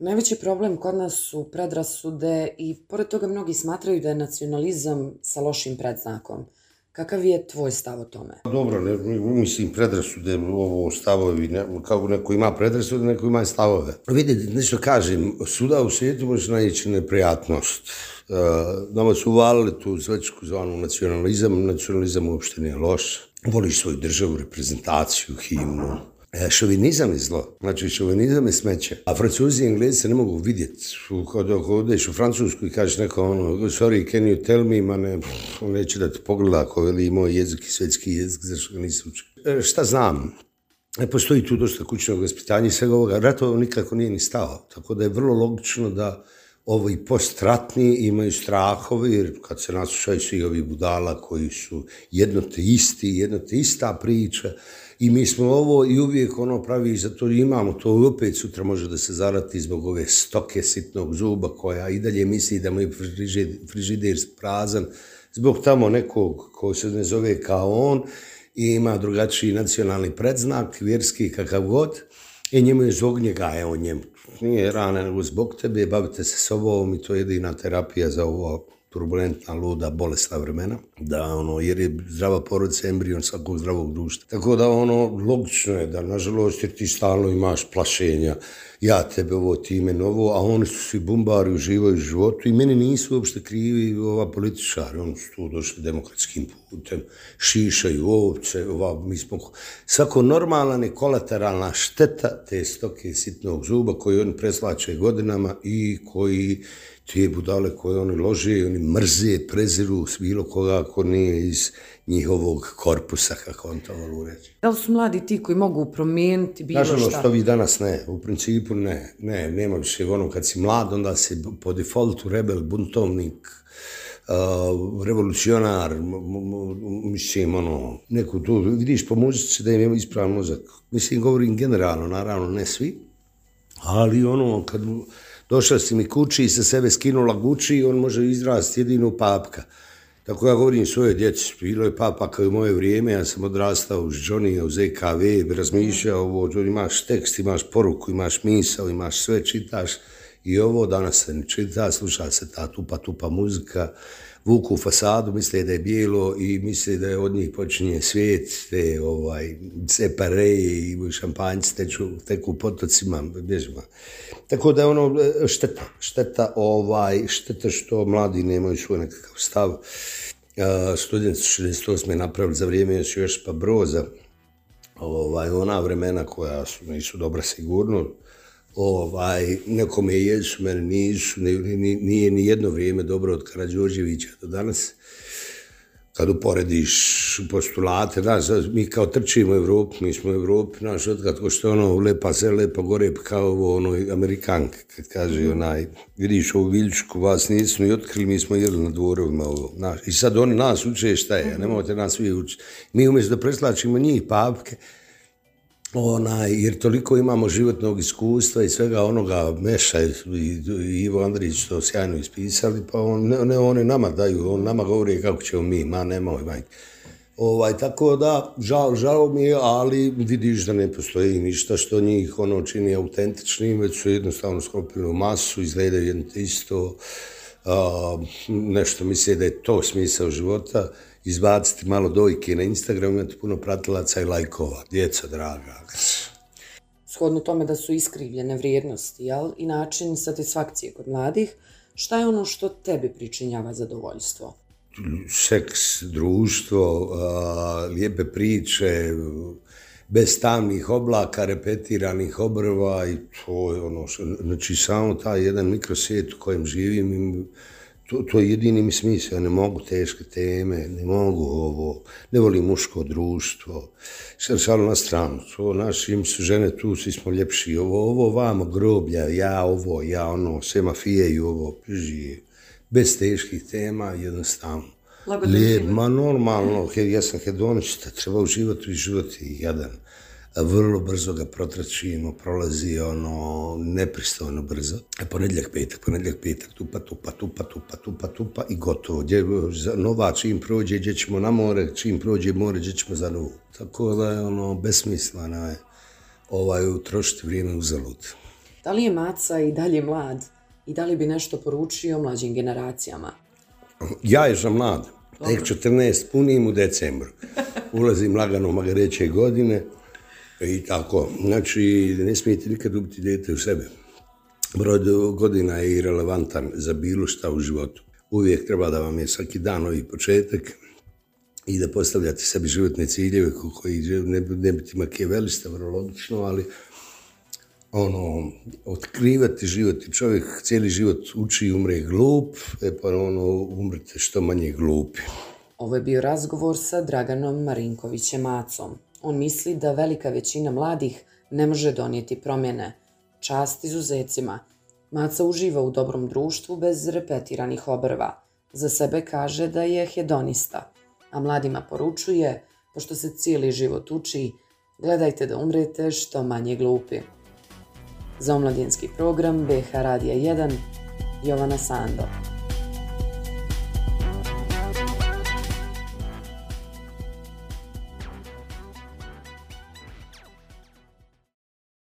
Najveći problem kod nas su predrasude i pored toga mnogi smatraju da je nacionalizam sa lošim predznakom. Kakav je tvoj stav o tome? Dobro, mislim predrasude, ovo stavovi, kako neko ima predrasude, neko ima stavove. Vidite, nešto kažem, svuda u svijetu može naići neprijatnost. Nama su uvalili tu zvečku zvanu nacionalizam uopšte nije loš. Voliš svoju državu, reprezentaciju, himnu. Šovinizam je zlo, znači šovinizam je smeće. A Francuzi i Englezi se ne mogu vidjeti. Kad odeš u Francusku i kažeš neko sorry, can you tell me, on neće da te pogleda ako veli moj jezik i svetski jezik, zašto ga nisam učio. Šta znam? Postoji tu dosta kućnog vaspitanja i svega ovoga. Ratova nikako nije ni stao, tako da je vrlo logično da ovi postratni imaju strahove, jer kad se naslušaju svi ovi budala koji su jedno te ista priča, i mi smo ovo i uvijek pravi, zato imamo to i opet sutra može da se zarati zbog ove stoke sitnog zuba koja i dalje misli da mu je frižider prazan, zbog tamo nekog ko se ne zove kao on i ima drugačiji nacionalni predznak, vjerski kakav god, i njemu je zbog njega, evo njemu, nije rana nego zbog tebe, bavite se sobom i to je jedina terapija za ovo turbulentna, luda, bolesna vremena, jer je zdrava porodica embrion svakog zdravog društva. Tako da logično je da, nažalost, jer ti stalno imaš plašenja, ja tebe ovo, ti mene ovo, a oni su svi bumbari, uživaju u životu i meni nisu uopšte krivi političari, oni su tu došli demokratskim putem, šišaju ovce, mi smo, svako normalna i kolateralna šteta te stoke sitnog zuba koji oni preslače godinama i koji te budale koje oni lože, oni mrze, preziru s bilo koga ako nije iz njihovog korpusa, kako on to volu reći. Da li su mladi ti koji mogu promijeniti bilo šta? Nažalost, ovi danas ne, u principu ne, nema više kad si mlad, onda si po defaultu rebel, buntovnik, revolucionar, mislim, neku tu, vidiš po muzici da im je ispravan mozak. Mislim, govorim generalno, naravno, ne svi, ali kad došla si mi kući i sa sebe skinula Gucci, on može izrasti jedino papka. Tako ja govorim svoje djeci, bilo je papa kao u moje vrijeme, ja sam odrastao uz Johnny, uz EKV, razmišljao, imaš tekst, imaš poruku, imaš misao, imaš sve, čitaš i ovo danas se ne čita, sluša se ta tupa muzika, vuku u fasadu, misle da je bijelo i misle da je od njih počinje svijet, te separeje i šampanjci teku potocima, bježima. Tako da je šteta što mladi nemaju svoj nekakav stav. Studenti su 68. napravili za vrijeme još pa Broza, ona vremena koja nisu dobra sigurno, nekome jesu, mene nisu, nije ni jedno vrijeme dobro od Karađorđevića do danas. Kad uporediš postulate, mi kao trčimo u Evropu, mi smo u Evropi, otkad ko što lepa se, lepa gore, kao Amerikanka, kad kaže vidiš ovu Viljušku, vas nisu ni otkrili, mi smo jeli na dvorovima ovo. I sad oni nas uče šta je, nemojte nas svi učiti. Mi umjesto da preslačimo njih papke, jer toliko imamo životnog iskustva i svega onoga Meša i Ivo Andrić to sjajno ispisali, pa oni nama daju, on nama govori kako ćemo mi, nemoj majke. Tako da, žao mi je, ali vidiš da ne postoji ništa što njih čini autentičnim, već su jednostavno sklopili u masu, izgledaju jedno te isto, nešto misle da je to smisao života, izbaciti malo dojke na Instagramu, imati puno pratilaca i lajkova, djeca draga. Shodno tome da su iskrivljene vrijednosti, i način satisfakcije kod mladih, šta je ono što tebi pričinjava zadovoljstvo? Seks, društvo, lijepe priče, bez tamnih oblaka, repetiranih obrva i to je znači samo taj jedan mikrosvijet u kojem živim, to je jedini mi smisao, ja ne mogu teške teme, ne mogu ovo, ne volim muško društvo, šalu na stranu, im su žene tu, svi smo ljepši, ovo vamo groblja, ja sve mafije i ovo, bez teških tema, jednostavno. Normalno, ja sam hedonista, treba uživati i životi jadan. Vrlo brzo ga protračimo, prolazi nepristojno brzo. Ponedjeljak, petak, tupa i gotovo. Nova čim prođe, gdje ćemo na more, čim prođe more, gdje ćemo za novu. Tako da je besmisleno utrošiti vrijeme uzalud. Da li je Maca i dalje mlad i da li bi nešto poručio mlađim generacijama? Ja još sam mlad, tek 14 punim u decembru. Ulazim lagano u magareće godine i tako. Znači, ne smijete nikad ubiti dijete u sebe. Broj godina je irelevantan za bilo šta u životu. Uvijek treba da vam je svaki dan novi početak i da postavljate sebi životne ciljeve koji ne biti makijavelista, vrlo logično, ali otkrivati život i čovjek cijeli život uči i umre glup, pa umrete što manje glupi. Ovo je bio razgovor sa Draganom Marinkovićem Macom. On misli da velika većina mladih ne može donijeti promjene. Čast izuzecima. Maca uživa u dobrom društvu bez repetiranih obrva. Za sebe kaže da je hedonista, a mladima poručuje, pošto se cijeli život uči, gledajte da umrete što manje glupi. Za omladinski program BH Radija 1, Jovana Sando.